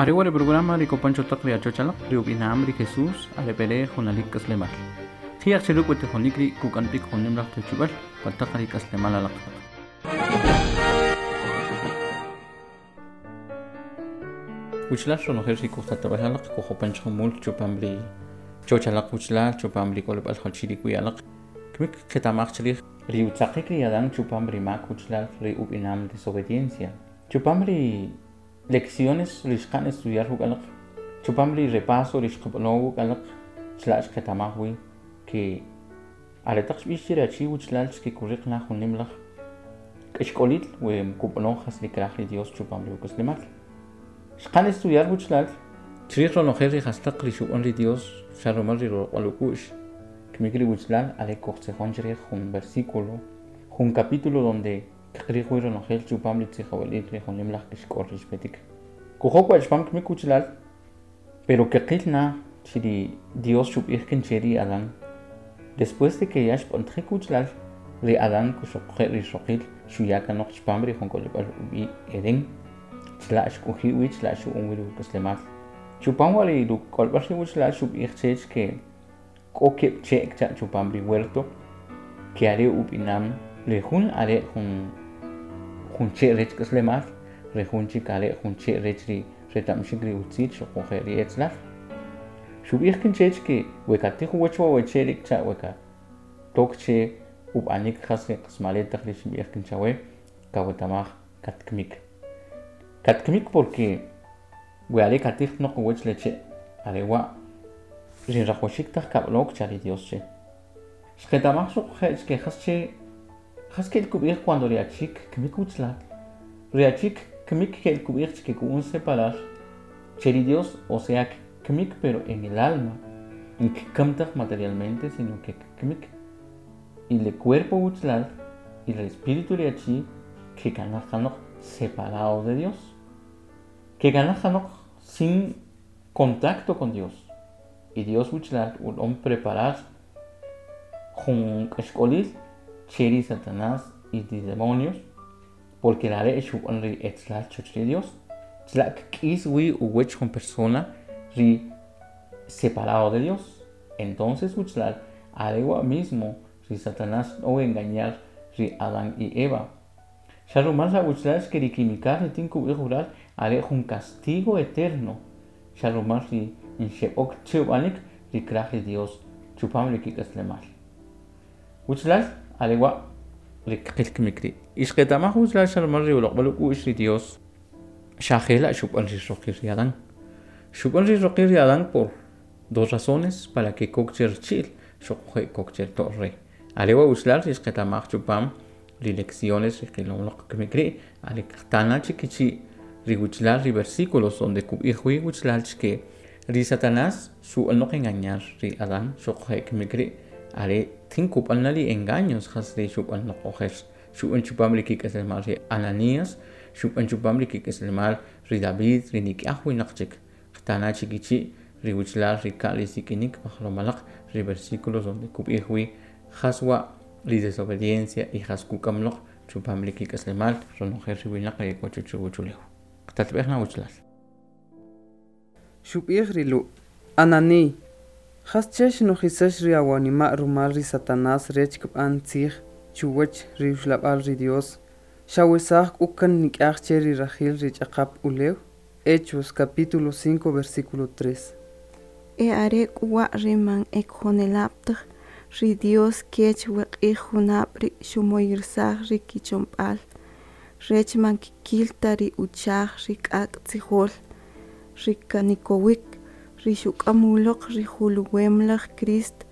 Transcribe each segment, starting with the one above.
Are wa' ri programa ri kopan cho taq ri achoch alaq, ri ub'ina'am ri Jesús are b'ere junalik k'aslemal. Ji'aj che ruk' we tijonik ri' kuk'am b'ik jun nim laj tewchib'al pa taq ri k'aslemal alaq. Wuchlal ronojel ri kujtatab'ej alaq kujopan chjumul chupam ri choch alaq wuchlal chupam ri k'olib'al jachi ri k'wi alaq. Kimik qeta'maj chrij ri utzaqik ri Adán chupam ri mak wuchlal ri ub'inam desobediencia. Chupam ri lecciones ri xqa'n estudiar ruk' alaq, chupam ri repaso ri xqab'ano wuk' alaq chila' xqeta'maj wi ke aretaq xb'ix che ri achi wuchlal chkikuriq na jun nim laj k'axk'olil we kub'ano jas ri kraj ri Dios chupam ri uk'aslemal. Xqa'n estudiar wuchlal chrij ronojel ri jastaq ri xub'an ri Dios xa rumal ri roq'b'al uk'u'x. Kimik ri wuchlal are kujtzijon chrij jun versículo, jun capítulo donde kqiriq wi ronojel chupam ri tzijob'elil ri jun nim laj k'axk'ol ri xpetik. Kujok wa' chupam kimik wuchlal, pero keqil na chi ri Dios xub'ij kan che ri Adán. Después de que ya xb'antajik wuchlal, ri Adán kuxoqje' ri rixoqil xuya kanoq chupam ri jun k'olib'al ub'i' Edén. Chila' xk'oji' wi, chila' xu'on wi ri uk'aslemal. Chupam wa' ri ruk'olb'al ri wuchlal xub'ij chech ke k'o keb' che' kcha' chupam ri huerto, ke are ub'inam ri jun are jun jun che' rech k'aslemal, ri jun chik are jun che' rech ri reta'mxik ri utzil xuquje' ri etzlal. Xub'ij kan chech ke we katij uwach wa' we che' ri' kcha' we katok che ub'anik jas ri qasmale taq ri xinb'ij kan chawe kaweta'maj katkmik. Katkmik porque we are katij noq uwach le che' are wa' ri rajwaxik taj kab'ano kcha ri Dios che. Xqeta'maj xuquje' chke jas che jas ke'l kub'ij cuando ri achi kkmik wuchlal. Ri achi kkmik ke'l kub'ij chke ku'un separar che ri Dios, o sea kkmik pero en el alma, nkkkam taj materialmente sino que kkmik. Y le cuerpo wuchlal y el espíritu ri achi kekanaj kanoq separado de Dios. Kekanaj kanoq sin contacto con Dios. Y Dios wuchlal ul'om preparar jun k'axk'olil che ri Satanás y ri demonios, porque are' xub'an ri etzlal choch ri Dios. Chila' kk'is wi uwach jun persona ri separado de Dios. Entonces wuchlal are wa' mismo ri Satanás o engañar ri Adán y Eva. Xa rumal la wuchlal xke ri kimikal ri tin kub'ij wural are jun castigo eterno. Xa rumal ri nxeb'ok che ub'anik ri kraj ri Dios chupam ri kik'aslemal. Wuchlal are wa' ri kqil kimik ri'. Y xqeta'maj wuchlal xa rumal ri uloq'b'al uk'u'x ri Dios xa jela' xub'an ri roqil ri Adán. Xub'an ri roqil ri Adán por dos razones: para que kok che richi'l xuquje' kok che rito' rey. Are wa' wuchlal ri xqeta'maj chupam ri lecciones ri qilom loq kimik ri' are qtana chikichi' ri wuchlal ri versículos donde kub'ij wi wuchlal chke ri Satanás xu'an loq engañar ri Adán xuquje' kimik ri' are tin kub'an na ri engaños jas ri xub'an loq ojer. Xub'an chupam ri kik'aslemal ri Ananías, xub'an chupam ri kik'aslemal ri David, ri nik'aj winaq chik. Qtana chikichi' ri wuchlal ri ka' ri sik'inik pajlom alaq ri versículos donde kub'ij wi jas wa' ri desobediencia y jas kuk'am loq chupam ri kik'aslemal ronojel ri winaq ri k'o chuch uwachulew. Qtatb'ej na wuchlal. Xub'ij ri Lu': Anani, jas che xnojisax ri awanima' rumal ri Satanás rech kb'an tzij chuwach ri uxlab'al ri Dios, xawesaj k'u kan nik'aj che ri rajil ri ch'aqap ulew? Hechos capítulo 5 versículo 3. E are k'u wa' ri man e kojonelab' taj, ri Dios kech we q'ij junab' ri' xumoyirsaj ri kichomb'al, rech man kikil ta ri uchaj ri k'ak' tzijol, ri kanikowik, ri xuk'am uloq ri juluwem laj Crist,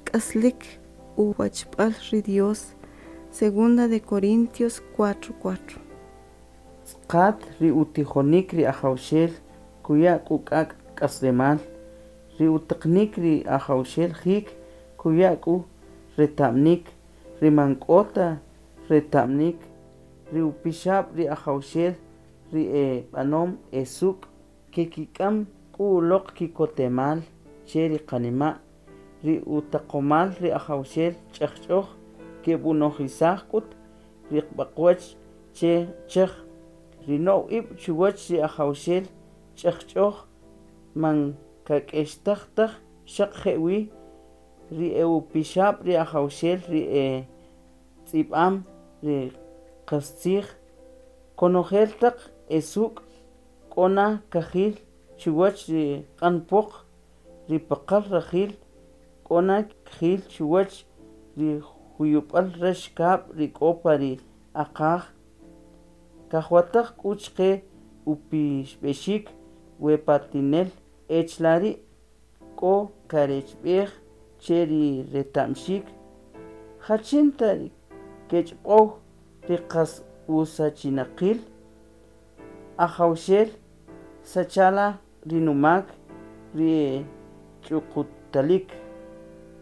k'aslik uwachb'al ri Dios. Segunda de Corintios 4:4. Tz'aqat ri utijonik ri Ajawxel kuya' k'u k'ak' k'aslemal, ri utaqnik ri Ajawxel jik kuya' k'u reta'mnik, ri man k'o ta reta'mnik, ri upixab' ri Ajawxel ri e b'anom e suk' kekik'am k'u uloq kikotemal che ri qanima', ri utaqomal ri Ajawxel ch'ajch'oj keb'unojisaj k'ut ri b'aq'wach che chej, ri no'w ib' chuwach ri Ajawxel Ch'ajch'oj man kak'extaj taj xaq jewi ri e upixab' ri Ajawxel ri e tz'ib'am ri qastzij konojel taq e suk' k'o na kajil chuwach ri q'an pwaq ri paqal rajil k'o na kajil chuwach ri juyub'al rax kab' ri k'o pa ri aqaj kajwataj k'u chqe upixb'exik we patinel ech la ri' k'o karechb'ej che ri reta'mxik jachin ta ri kechb'ow ri qas usachinaqil Ajawxel sachala ri numak ri ch'uqutalik.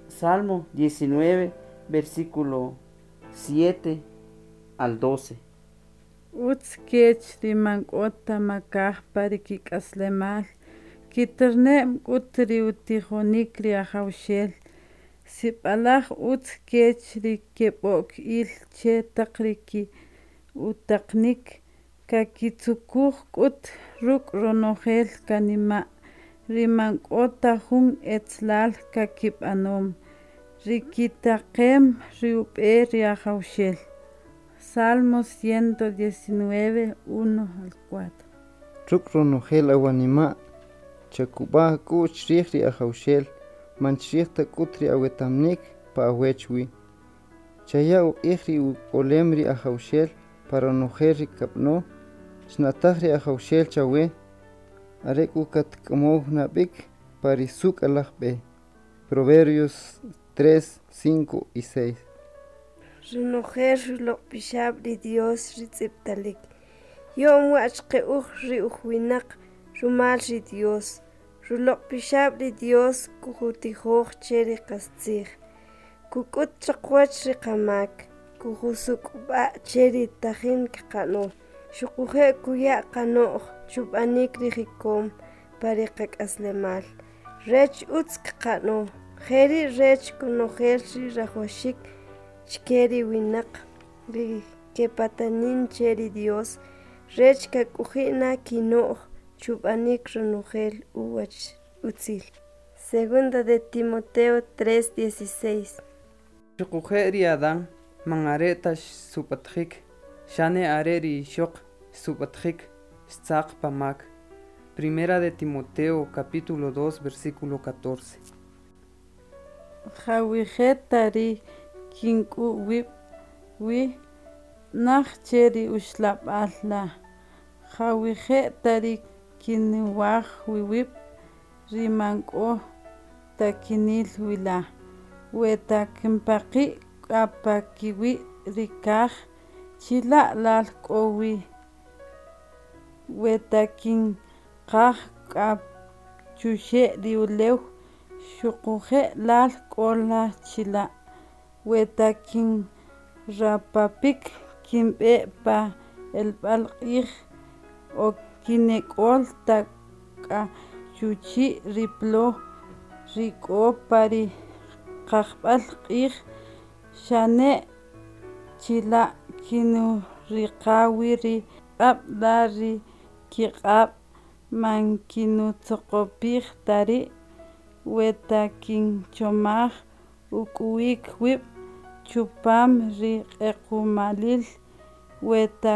Salmo 19, versículo 7 al 12. Utz kech ri man k'o ta makaj pa ri kik'aslemal, kiterne'm k'ut ri utijonik ri Ajawxel. Sib'alaj utz kech ri keb'o'k il che taq ri utaqnik, kakitzukuj k'ut ruk' ronojel kanima', ri man k'o ta jun etzelal kakib'anom, ri kitaqem ri ub'e ri Ajawxel. Salmos 119, 1 al 4. Ruk' ronojel awanima' chakub'a ak'u'x chrij ri Ajawxel, man chrij ta k'ut ri awetamnik pa awech wi. Chaya uq'ij ri uk'olem ri Ajawxel pa ronojel ri kab'ano, chna'taj ri Ajawxel chawe, are k'u katk'amow na b'ik pa ri suk' alaj b'e. Proverbios 3, 5 y 6. Ronojel ruloq' pixab' ri Dios ri tz'ib'talik. Yo'm wa' chqe uj ri uj winaq rumal ri Dios. Ruloq' pixab' ri Dios kujutijoj che ri qastzij. Kuk'ut chaqwach ri qamak, kujusuk'b'a' che ri tajin kqa'no. Xuquje' kuya' qano'j chub'anik ri jikom pa ri qak'aslemal. Rech utz kqa'no, jeri' rech konojel ri rajwaxik chke ri winaq ri kepatanin che ri Dios, rech kak'oji' na kino'j chub'anik ronojel uwach utzil. Segunda de Timoteo 3:16. Xuquje' ri Adán man are ta xsub'atjik, xane are ri ixoq xsub'atjik xtzaq pa mak. Primera de Timoteo capítulo 2 versículo 14. Jawije' ta ri kink'u' wib' wi, naj che ri uxlab'al la, jawije' ta ri kinwaj wi wib', ri man k'o ta kinil wi la. We ta kinpaqi' k'a pa kiwi' ri kaj, chila' lal k'o wi. We ta kinqaj k'a chuxe' ri ulew, xuquje' lal k'o la chila'. We ta kinrapapik kinb'e pa elb'al q'ij o kinek'ol ta k'a chuchi' ri plo ri k'o pa ri qajb'al q'ij, xane' chila' kinuriqa wi ri q'ab' la ri kiq'ab' man kinutzoqopij ta ri'. We ta kinchomaj uk'u'ik wib' chupam ri q'equ'malil, we ta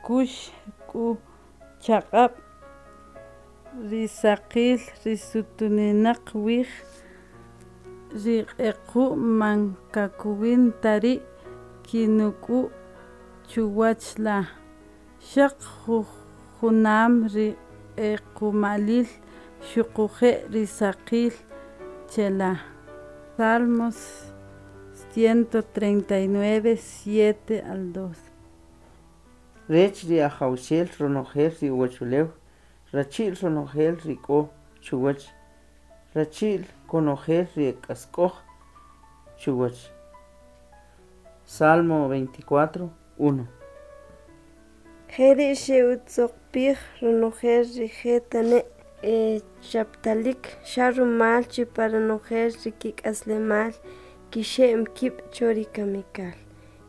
kux k'u chaq'ab' ri saqil ri sutuninaq wij, ri q'equ'm man kakowin ta ri' kinuk'u' chuwach la. Xaq junam ri q'equ'malil xuquje' ri saqil che la. Salmos 139, 7 al 12. Rech ri Ajawxel ronojel ri uwachulew, rachi'l ronojel ri k'o chuwach, rachi'l konojel ri k'ask'oj chuwach. Salmo 24, 1. Jeri' xe'utzoqpij ronojel ri je tane' e chaptalik xa rumal chi pa ronojel ri kik'aslemal kixe'm kib' cho ri kamikal.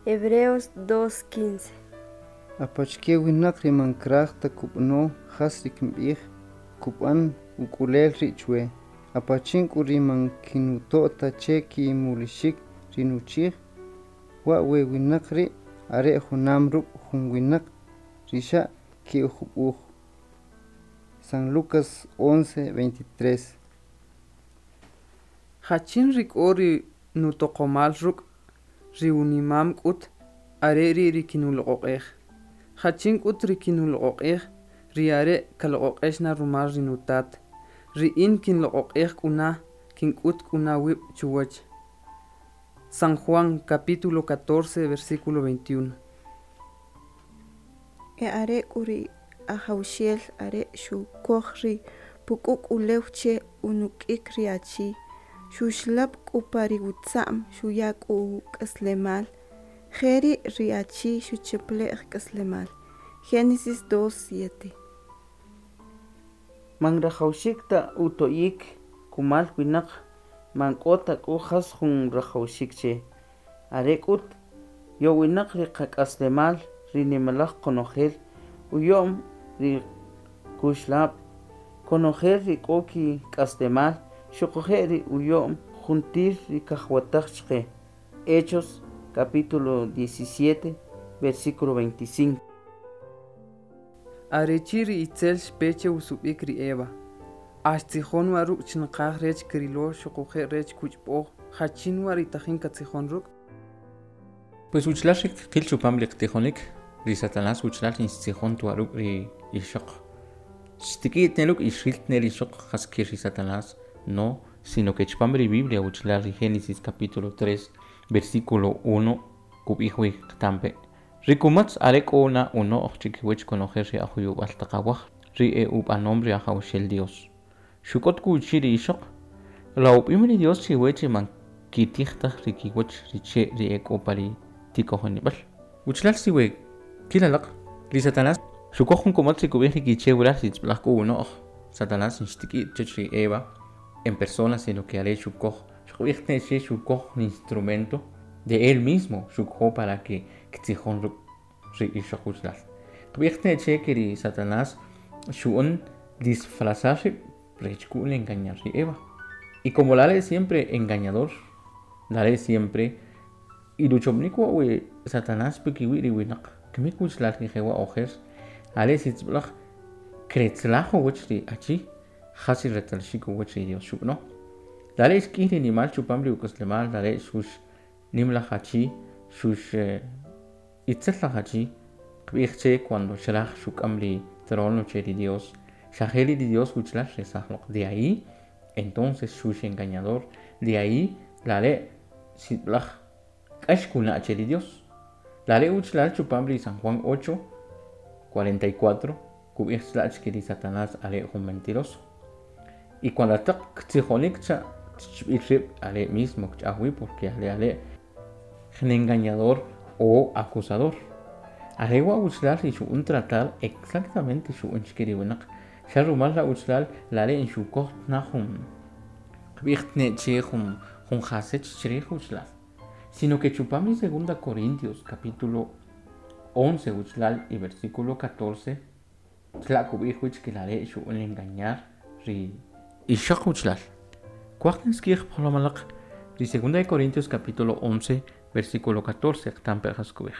Hebreos 2:15. Apachike winaq ri man kraj ta kub'ano jas ri kinb'ij, Kub'an uk'ulel ri' chwe. Apachin k'u ri man kinuto' ta che kimulixik ri nuchij, wa' we winaq ri' are junam ruk' jun winaq ri xa ke'ujub'uj. San Lucas 11:23. Jachin ri k'o ri nutoqomal ruk' ri unimam k'ut are ri' ri kinuloq'oq'ej. Jachin k'ut ri kinuloq'oq'ej ri are' kaloq'oq'ex na rumal ri nutat. Ri in kinloq'oq'ej k'u na kink'ut k'u na wib' chuwach. San Juan capítulo 14 versículo 21. E are k'u ri Ajawxel are xukoj ri puk'uk' ulew che unuk'ik ri achi, xuxlab' k'u pa ri utza'm xuya k'u uk'aslemal, jeri' ri achi xuchaple'j k'aslemal. Génesis 2:7. Man rajawxik ta uto'yik kumal winaq man k'o ta k'u jas jun rajawxik che. Are k'ut yowinaq ri qak'aslemal ri nimalaj qonojel uyo'm ri kuxlab' konojel ri k'o kik'aslemal xuquje' ri uyo'm juntir ri kajwataj chqe. Hechos capítulo 17 versículo 25. Arechi ri itzel xpe che usub'ik ri Eva. Axtzijon wa ruk' chinqaj rech kirilo xuquje' rech kuchb'oj jachin wa ri tajin katzijon ruk'. Pues uchlal ri qil chupam ri qtijonik ri Satanás uchlal instzijon tuwa ruk' ri ixoq. Xtik'i tne ruk' ixril tne ri ixoq jas kir ri Satanás, no, sino que chupam ri Biblia uchlal ri Génesis capítulo 3 versículo 1 kub'ij wi qtampe. Ri kumatz are k'o na uno'j chikiwach konojel ri ajuyub'al taq awaj ri e ub'anom ri Ajawxel Dios. Xuk'ot k'u uchi' ri ixoq, la ub'im ri Dios chiwe chi man kitij taj ri kiwach ri che' ri e k'o pa ri tikojonib'al. Uchlal siwe kilalaq ri Satanás xukoj jun kumatz ri kub'ij ri kiche wural ri tz'ib'laj k'u uno'j. Satanás nxtik'i chech ri Eva en persona, sino que are xukoj xub'ij tne che xukoj un instrumento de él mismo xukoj para que ktzijon ruk' ri ixoq uchlal. Qb'ij tne che que ri Satanás xu'an disfrazar rib' rech ku'l engañar ri Eva. Y como la ley siempre engañador, la ley siempre y luchomnik wa we Satanás pikiwi ri winaq kmik uchlal ri jewa ojer are sitzb'laj kretzlajo wach ri achi jas ri retalxik wach ri Dios xub'no. La ley xk'ij ri nimal chupam ri uk'aslemal, la ley xux nimlaj achi xux itzel laj achi qb'ij che cuando xraj xuk'am ri trono che ri Dios xajeri ri Dios uchlal resajloq. De ahí entonces xux engañador, de ahí la ley sib'laj k'ax kuna' che ri Dios. La ley uchlal chupam ri San Juan 8:44 kub'ij chlach que ri Satanás are jun mentiroso. Y cuando taq ktzijonik cha chb'il rib' are mismo kch'ajwi porque are are jun engañador o acusador. Are wa uchlal ri xu'un tratar exactamente xu'un chike ri winaq. Xa rumal la uchlal la re xukoj na jun qb'ij tne che jun jun jasech chrij uchlal. Sino que chupam ri segunda Corintios capítulo 11 uchlal y versículo 14 chla kub'ij wich que la re xu'un engañar ri ixoq uchlal. Kuaj nskij pjolomalaq ri segunda de Corintios capítulo 11 versículo 14 qtampe jas kub'ij.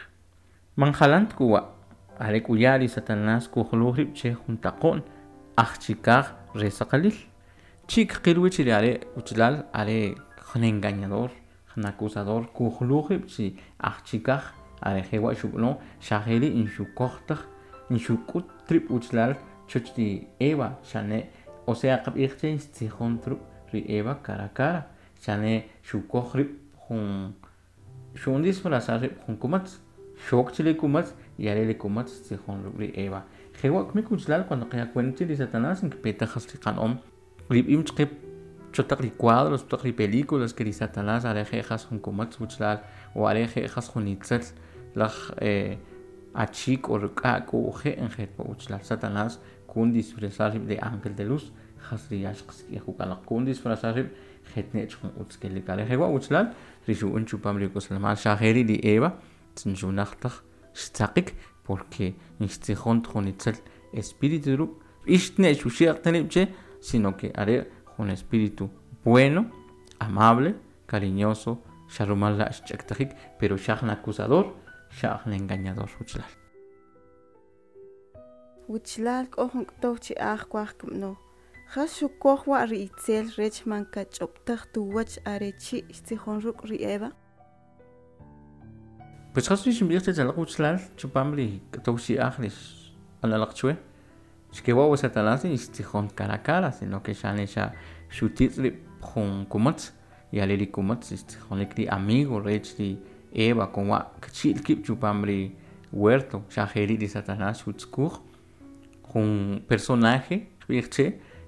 Manjalant kuwa are k'uya ri Satanás kujluj rib' che jun taqo'n ajchikaj re saqalil. Chik qil wich ri are uchlal are jun engañador, jun acusador kujluj rib' chi ajchikaj are jewa xub'no xajeri inxukoj taj inxuk'ut trib' uchlal choch ri Eva xane o sea qb'ij che xtzijon trub' ri Eva cara a cara xane xukoj rib' jun xu'un disfrazar rib' jun kumatz xok che li kumatz y are li kumatz tzijon ruk' ri Eva. Jewa kmik uchlal cuando qaya cuenta ri Satanás nkpeta jas ri qan'om rib'im chqe chotaq ri cuadros chotaq ri películas que ri Satanás are je jas jun kumatz uchlal o are je jas jun itzel laj achik o ruk'a k'u je en pa uchlal Satanás kun disfrazar rib' de ángel de luz jas ri yax qsk'ij ukalaq kun disfrazar rib' jetnech jun utz kelik are jewa uchlal ri xu'un chupam ri uk'aslemal xajeri ri Eva tzinxunaj taj xtzaqik porque nxtzijon jun itzel espíritu ruk' Ixtne xuxi'q che, sino que are un espíritu bueno, amable, cariñoso, xarumal la xch'aktajik, pero xaj acusador, xaj engañador uchlal. Wichlal k'o jun k'tow chi'aj kuaj kib'noj. Jas xukoj wa' ri itzel rech man kach'ob'taj tuwach are chi' xtzijon ruk' ri Eva? Pues jas ri xinb'ij che chalaq uchlal chupam ri k'tow chi'aj ri analaq chwe. Xkewa wa Satanás y xtzijon cara a cara, sino que xane xa xutitz' ri jun kumatz y ale ri kumatz xtzijonik ri amigo rech ri Eva con wa kchi'l kib' chupam ri huerto xa jeri' ri Satanás xutzkuj jun personaje xb'ij che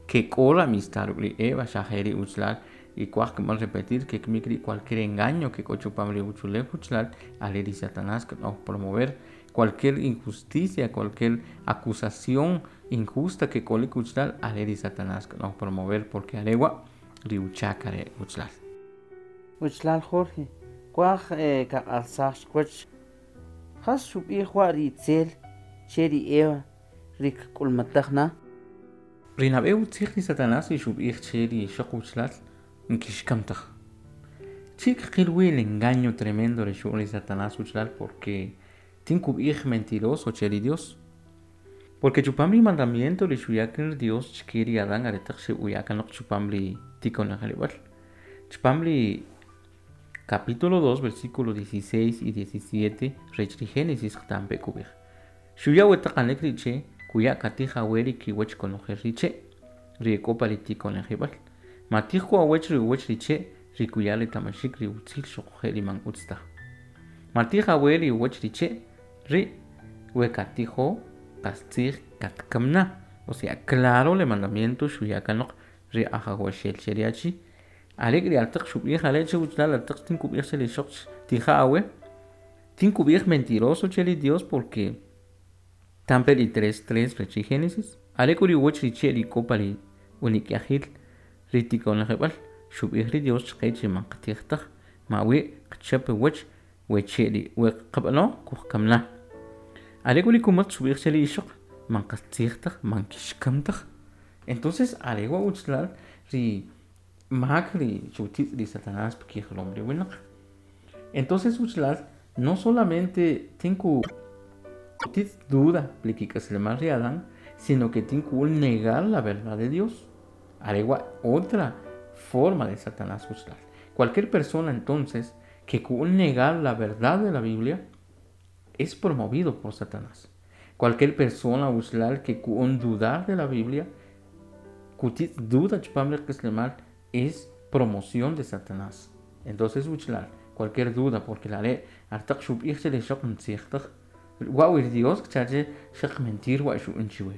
que k'o la amistad ruk' ri Eva xa jeri' uchlal y kuaj kib'an repetir que kmik ri cualquier engaño que k'o chupam ri uchulew uchlal ale ri Satanás kb'an promover cualquier injusticia, cualquier acusación injusta que k'olik uchlal ale ri Satanás kb'an promover porque are wa' ri uchak are uchlal. Uchlal Jorge, kuaj kaq'alsaj xwach jas xub'ij wa' ri itzel che ri Eva ri kk'ulmataj na? Ri nab'e utzij ri Satanás y xub'ij che ri ixoq uchlal nkixkamtaj. Chi kqil wi el engaño tremendo ri xu'on ri Satanás uchlal porque tinkub'ij mentiroso che ri Dios. Porque chupam ri mandamiento ri xuya ri Dios chke ri Adán aretaq xe'uya kanoq chupam ri tikonajrib'al. Chupam ri capítulo 2, versículo 16 y 17 rech ri Génesis qtampe kub'ij. Xuya wetaqanik ri che kuya katij awe ri kiwach konojel ri che ri k'o pa ri tikonajib'al. Matij ku awech ri uwach ri che ri kuya ri tamaxik ri utzil xuquje' ri man utz taj. Matij awe ri uwach ri che ri we katijo qastzij katkamna. O sea, claro le mandamiento xuya kanoq ri ajawaxel che ri achi. Are ri altaq xub'ij are che uchlal altaq tinkub'ij che ri xoq tija awe. Tinkub'ij mentiroso che ri Dios porque tampe ri 3:3 rech ri Génesis. Are k'u ri uwach ri che ri k'o pa ri unik'yajil ri tikonajib'al xub'ij ri Dios chqe chi man qatij taj mawi qchap uwach we che ri we qab'ano kujkamna. Are k'u ri kumatz xub'ij che ri ixoq man qastzij taj man kixkam taj. Entonces are wa uchlal ri mak ri xutitz' ri Satanás pkijlom ri winaq. Entonces uchlal no solamente tinku titz duda plikik'aslemal ri Adán, sino que tinku negar la verdad de Dios. Aregua otra forma de Satanás uchlal. Cualquier persona entonces que ku'un negar la verdad de la Biblia es promovido por Satanás. Cualquier persona uchlal que ku'un dudar de la Biblia, kutit duda chupam ri k'aslemal, es promoción de Satanás. Entonces uchlal, cualquier duda, porque la ley artaq xub'ij che ri xoq ntzij taj. Wa wi Dios kchache xaq mentir wa xu'un chiwe.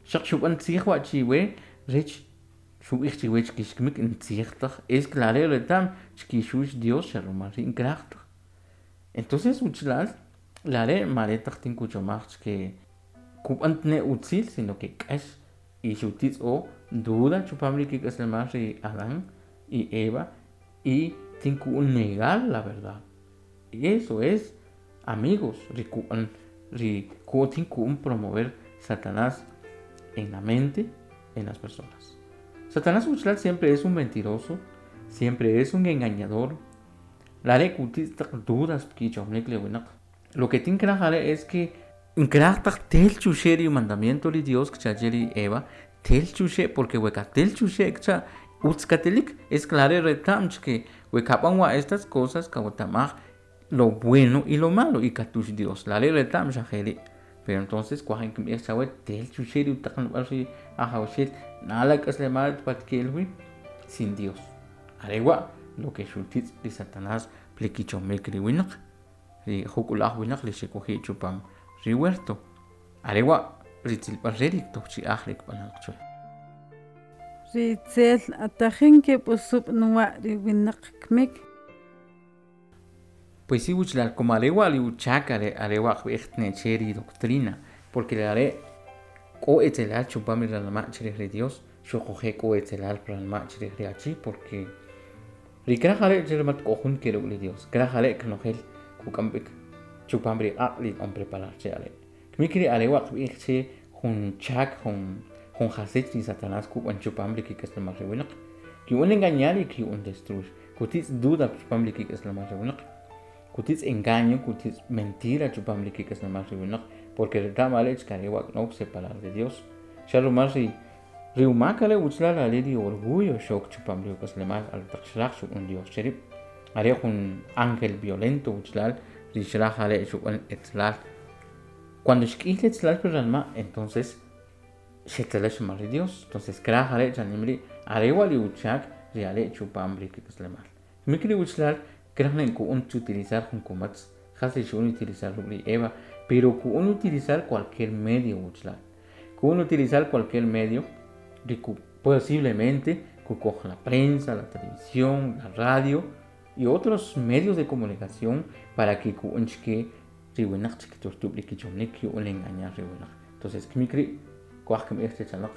Xaq xub'an tzij wa chiwe rech xub'ij chiwe chkixkmik ntzij taj. Es claro retam chkixux Dios xarumal ri nkraj taj. Entonces uchlal la ley mare taq tinkuchomaj chke kub'an tne utzil, sino que k'ax y xutitz o duda chupam ri kik'aslemal ri Adán y Eva y tinku negar la verdad. Y eso es, amigos, ri ku'an ri ku tinku promover Satanás en la mente, en las personas. Satanás uchlal siempre es un mentiroso, siempre es un engañador. La re kutis taq dudas pkichomnik le winaq. Lo que tin kraj es que nkraj taq tel chuxe ri mandamiento ri Dios kchache ri Eva, tel chuxe porque weka tel chuxe kcha utzkatelik es claro retam que wekab'an wa estas cosas kawatamaj lo bueno y lo malo y katush Dios la ley retam xajeri. Pero entonces kuajen kim'ij chawe tel chuxe ri utaqan ri ajawxel nala k'aslemal patkelwi sin Dios. Arewa lo que xutitz ri Satanás plikichomik ri winaq ri jukulaj winaq li xekuji chupam ri huerto. Arewa ri tzilb'al re ri tojchi'aj ri kb'anaq chwe. Ri itzel atajin keb'usub' nuwa' ri winaq kmik. Pues sí, uchlal, como arewa li uchak are arewa qb'ij tne ri doctrina, porque le are k'o etzelal chupam ri ranma' chrij ri Dios, xuquje' k'o etzelal pranma' chrij ri achi, porque ri kraj are che mat k'o jun ke ruk' ri Dios, kraj are knojel kuk'amb'ik chupam ri q'aq' li on preparar che are. Kmik ri arewa qb'ij che jun chak jun Jun jasich ri Satanás kub'an chupam ri kik'aslemal ri winaq. Ki'un engañar y ki'un destruir. Kutitz duda chupam ri kik'aslemal ri winaq. Kutitz engaño, kutitz mentira chupam ri kik'aslemal ri winaq, porque reta'm are' chkare wa' k'now separar de Dios. Xa rumal ri ri umak are' uchlal are ri orgullo xok chupam ri uk'aslemal al taq xraj xub'an Dios che rib'. Are jun ángel violento uchlal ri xraj are' xub'an etzlal. Cuando xk'ij etzlal pi ranma', entonces xetzelex mal ri Dios. Entonces kraj are' chanim ri' are wa' ri uchak ri are' chupam ri kik'aslemal. Kimik ri uchlal kraj ne ku'un utilizar jun kumatz, jas ri xu'un utilizar ruk' ri Eva, pero ku'un utilizar cualquier medio uchlal. Ku'un utilizar cualquier medio ri posiblemente kukoj la prensa, la televisión, la radio y otros medios de comunicación para que ku'un chike ri winaq chikturtub' ri kichomnik ki'un engañar ri winaq. Entonces kimik ri' kuaj kinb'ij chech alaq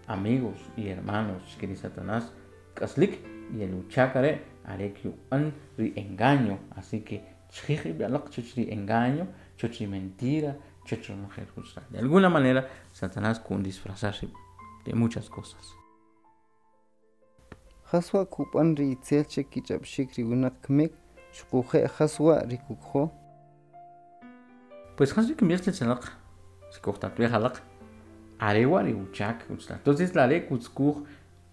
amigos y hermanos chike ri Satanás k'aslik y el uchak are' are ki'ub'an ri engaño, así que chijij ib' alaq chech ri engaño, chech ri mentira, chech ronojel juchla. De alguna manera Satanás ku'un disfrazar rib' de muchas cosas. Jas wa' kub'an ri itzel che kich'ab'xik ri winaq kimik xuquje' jas wa' ri kukojo? Pues jas ri kinb'ij chech alaq, si kujtatb'ej alaq, are wa' ri uchak uchla. Entonces la are' kutzkuj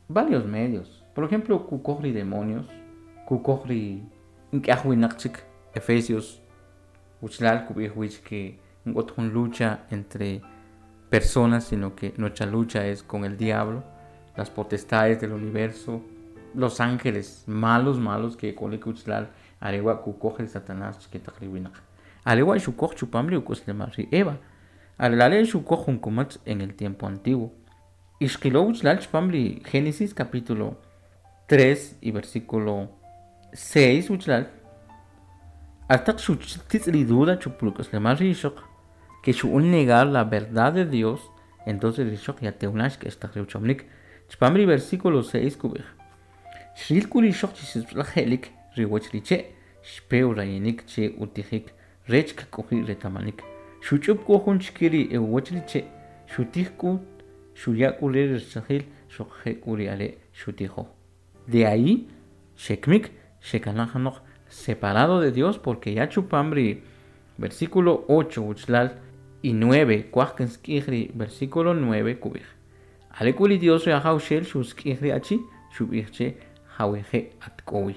varios medios. Por ejemplo, kukoj ri demonios, kukoj ri nk'aj winaq chik, Efesios uchlal kub'ij wich que nk'ot jun lucha entre personas, sino que nuestra lucha es con el diablo, las potestades del universo, los ángeles malos, malos que k'olik uchlal, are wa' kukoj ri Satanás chike taq ri winaq. Are wa' xukoj chupam ri uk'aslemal ri Eva. Are la are' xukoj jun kumatz en el tiempo antiguo. Y xqilo uchlal chupam ri Génesis capítulo 3 y versículo 6 uchlal, Ataq xuchtitz ri duda chupul uk'aslemal ri ixoq, que xu'un negar la verdad de Dios, entonces ri ixoq ya tewnax k'ex taq ri uchomnik. Chupam ri versículo 6 kub'ij, xril k'u ri ixoq chi sib'alaj je'lik ri uwach ri che', xpe urayinik che utijik rech kk'oji' reta'manik. Xuch'ub' k'u jun chike ri e uwach ri che', xutij k'ut, xuya' k'u re ri rachajil, xuquje' k'u ri are' xutijo. De ahí xekmik xekanaj kanoq separado de Dios, porque ya chupam ri versículo 8 uchlal y 9, kuaj kinsk'ij ri versículo 9 kub'ij. Are k'u ri Dios ri Ajawxel xusk'ij ri achi, xub'ij che jawije' at k'o wi.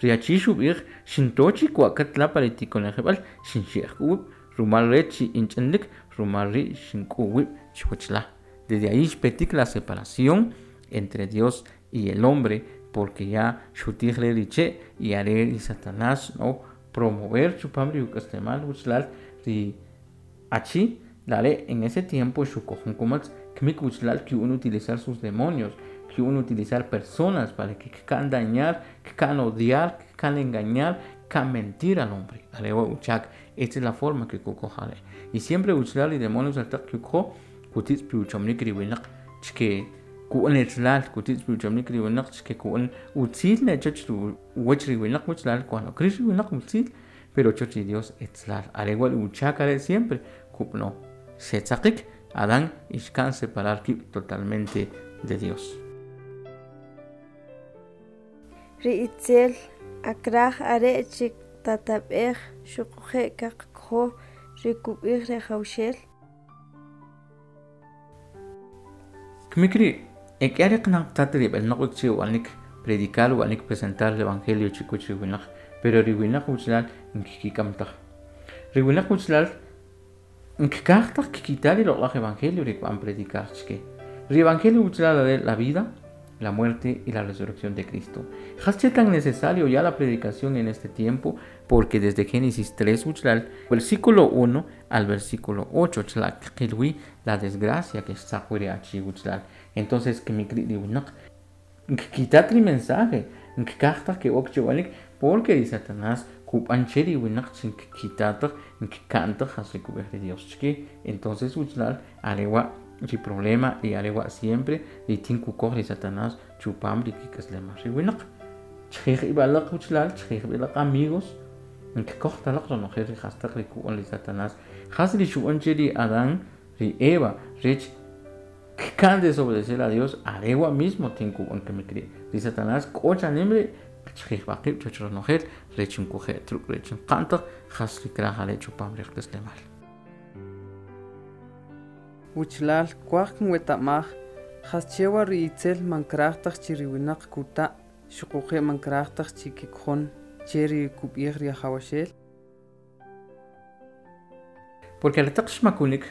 Ri achi xub'ij xinto chi kwa'kat la pa ri tikonejeb'al, xinxe'j k'u wib', rumal rech chi inch'inlik, rumal ri' xink'u wib' chuwach la. Desde ahí xpetik la separación entre Dios y el hombre, porque ya xutij re ri che' y are ri Satanás no promover chupam ri uk'aslemal uchlal ri achi, la are' en ese tiempo xukoj jun kumatz, kimik uchlal ki'un utilizar sus demonios, ki'un utilizar personas para que kka'n dañar, kka'n odiar, kka'n engañar, kka'n mentir al hombre. Are wa' uchak, esta es la forma que kukoj are'. Y siempre uchlal ri demonios altaq kikoj kutitz pi uchomnik ri winaq chike ku'un etzlal, kutitz pi uchomnik ri winaq chike ku'un utzil ne chech uwach ri winaq uchlal, cuando kril ri winaq utzil, pero choch ri Dios etzlal. Are wa' ri uchak are' siempre kub'no. Xetzaqik Adán y xka'n separar kib' totalmente de Dios. Ri itzel akraj are' chi tatab'ej xuquje' kaqkojo ri kub'ij ri Ajawxel. Kimik ri' e k'ia ri qanaq tat ri b'elnaq wik che ub'anik predicar, ub'anik presentar el evangelio chikuch ri winaq, pero ri winaq uchlal nkikik'am taj. Ri winaq uchlal nkikaj taj kikita ri loq'laj evangelio ri kb'an predicar chike. Ri evangelio uchlal are la vida, la muerte y la resurrección de Cristo. Jas che tan necesario ya la predicación en este tiempo, porque desde Génesis 3 uchlal, versículo 1 al versículo 8, chlak qilwi la desgracia que xtzaq wi ri achi uchlal. Entonces kimik ri' ri winaq nkikitat ri mensaje, nkikaj taj ke'ok che ub'anik, porque ri Satanás kub'an che ri winaq chi nkikita taj, nkika'n taj jas ri kub'ij ri Dios chike. Entonces uchlal are wa' ri problema y are wa' siempre ri tin kukoj ri Satanás chupam ri kik'aslemal ri winaq. Chijij ib' alaq uchlal, chijij ib' alaq amigos, nkikoj talaq ronojel ri jastaq ri kub'an ri Satanás. Jas ri xub'an che ri Adán, ri Eva, rech Kkan desobedecer a Dios arewa mismo tinkub'an kemikri. Ri Satanás k'o chanim ri' qchijb'aqib' chuwach ronojel rech nkuje' ruk' rech nqa'ntaq jas ri kraj are' chupam ri qk'aslemal. Wuchlal kwaj kinweta'maj jasche wa ri itzel man kraj taj chi ri winaq kuta' xuquje' man kraj taj chi kikjon che ri kub'ij ri Ajawaxel. Porque aretaq xmakunik,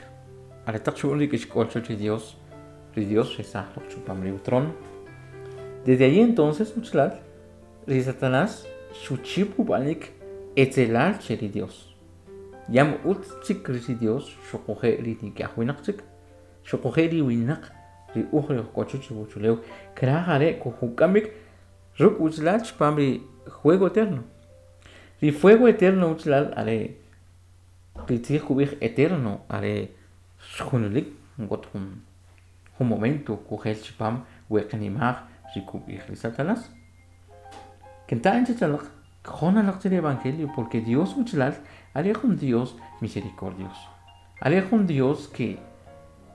aretaq xu'on ri k'ixk'ol chuwach ri Dios xresaj loq chupam ri utrono. Desde ahí entonces, wuchlal, ri Satanás xuchip ub'anik etzelal che ri Dios. Yam utz chik ri Dios xuquje' ri nik'yaj winaq chik, xuquje' ri winaq ri uj ri ujk'o chuwach ri uwachulew kraj are' kujuk'amik ruk' wuchlal chupam ri fuego eterno. Ri fuego eterno wuchlal are ri tzij kub'ij eterno are junalik nk'ot jun momento kujel chupam we qnimaj ri kub'ij ri Satanás. Kenta'an chech alaq kjon alaq che ri evangelio porque Dios wuchlal are jun Dios misericordioso. Are jun Dios que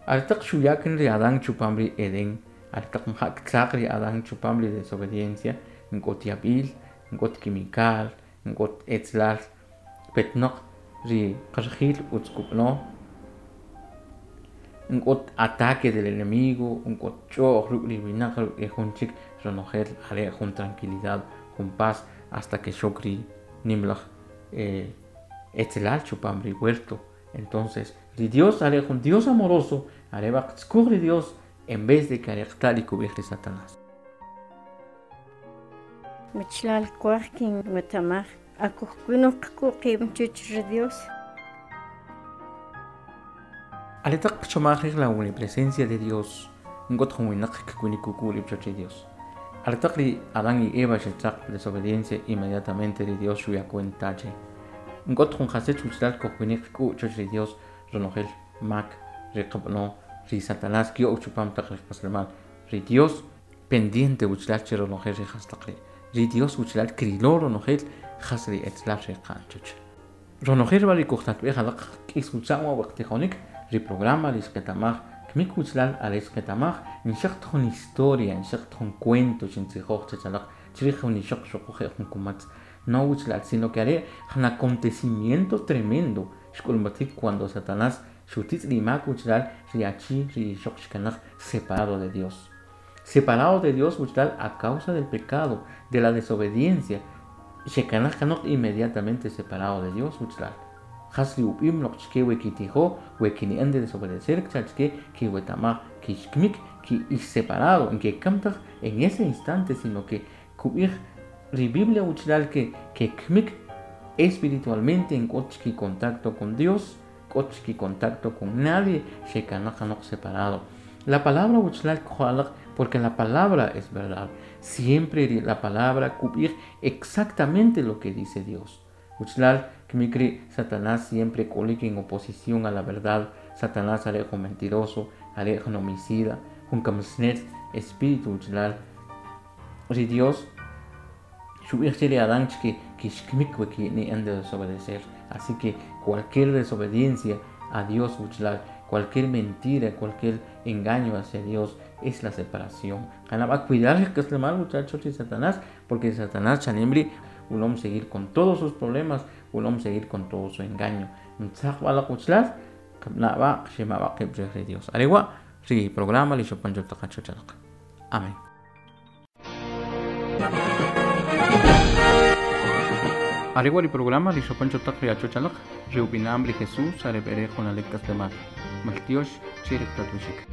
aretaq xuya' ri Adán chupam ri Edén, aretaq mja' ktzaq ri Adán chupam ri desobediencia, nk'ot yab'il, nk'ot kimikal, nk'ot etzlal, petnaq ri qarjil utz kub'ano, nk'ot ataque del enemigo, nk'ot ch'o'j ruk' ri winaq ruk' ri jun chik ronojel are jun tranquilidad, jun paz hasta que xok ri nimlaj etzelal chupam ri huerto. Entonces, ri Dios are jun Dios amoroso, are va qtzkuj ri Dios en vez de que are qta' ri kub'ij ri Satanás. Wichlal kwaj kinwetamaj akujkwinoj qk'u' qib' chuch ri Dios. Aretaq qchomaj rij la omnipresencia de Dios, nk'ot jun winaq kkwinik kuk'u' rib' chuwach ri Dios. Aretaq ri Adán y Eva xetzaq desobediencia inmediatamente ri Dios xuya cuenta che nk'ot jun jasech wuchlal kujkwinik qk'u' chuwach ri Dios ronojel mak ri qab'ano ri Satanás kyo'w chupam taq ri qak'aslemal. Ri Dios pendiente wuchlal che ronojel ri jastaq ri'. Ri Dios wuchlal krilo ronojel jas ri etzlal ri qa'n chuch. Ronojel b'a ri kujtatb'ej alaq k'is wutza'm wa waqtijonik ri programa ri xqetamaj kmik wuchlal are xqetamaj nxaqt jun historia, nxaqt jun cuento xintzijoj chech alaq chrij jun ixoq xuquje' jun kumatz. No wuchlal, sino que are jun acontecimiento tremendo xk'ulmatik cuando Satanás xutitz' ri mak wuchlal ri achi ri ixoq xkanaj separado de Dios. Separado de Dios wuchlal a causa del pecado, de la desobediencia, xekanaj kanoq inmediatamente separado de Dios wuchlal. Jas ri ub'im loq chke we kitijo, we kini'an de desobedecer chke kiwetamaj kixkmik ki ix separado, en que kamtaj en ese instante, sino que kub'ij ri Biblia wuchlal que kmik espiritualmente en k'ot chki contacto con Dios, k'ot chki contacto con nadie, xekanaj kanoq separado. La palabra wuchlal kjo'alaq porque la palabra es verdad. Siempre la palabra kub'ij exactamente lo que dice Dios. Wuchlal kmikri Satanás siempre k'olik en oposición a la verdad. Satanás are jun mentiroso, are jun homicida, jun kamsnet espíritu wuchlal. Ri Dios xub'ij che ri Adán chke kixkmik we kini'an de desobedecer. Así que cualquier desobediencia a Dios wuchlal, cualquier mentira, cualquier engaño hacia Dios es la separación. Ganaba cuidar que es el mal, muchachos, y Satanás, porque Satanás chanimri ulom seguir con todos sus problemas, ulom seguir con todo su engaño. Dios. Arewa, ri programa li xopancho taqacho chalaq. Amén. Arewa ri programa li xopancho taq ri achochalaq, ri ubinam ri Jesús arebere jonalek kaslemal. Maltiox chirik tatushik.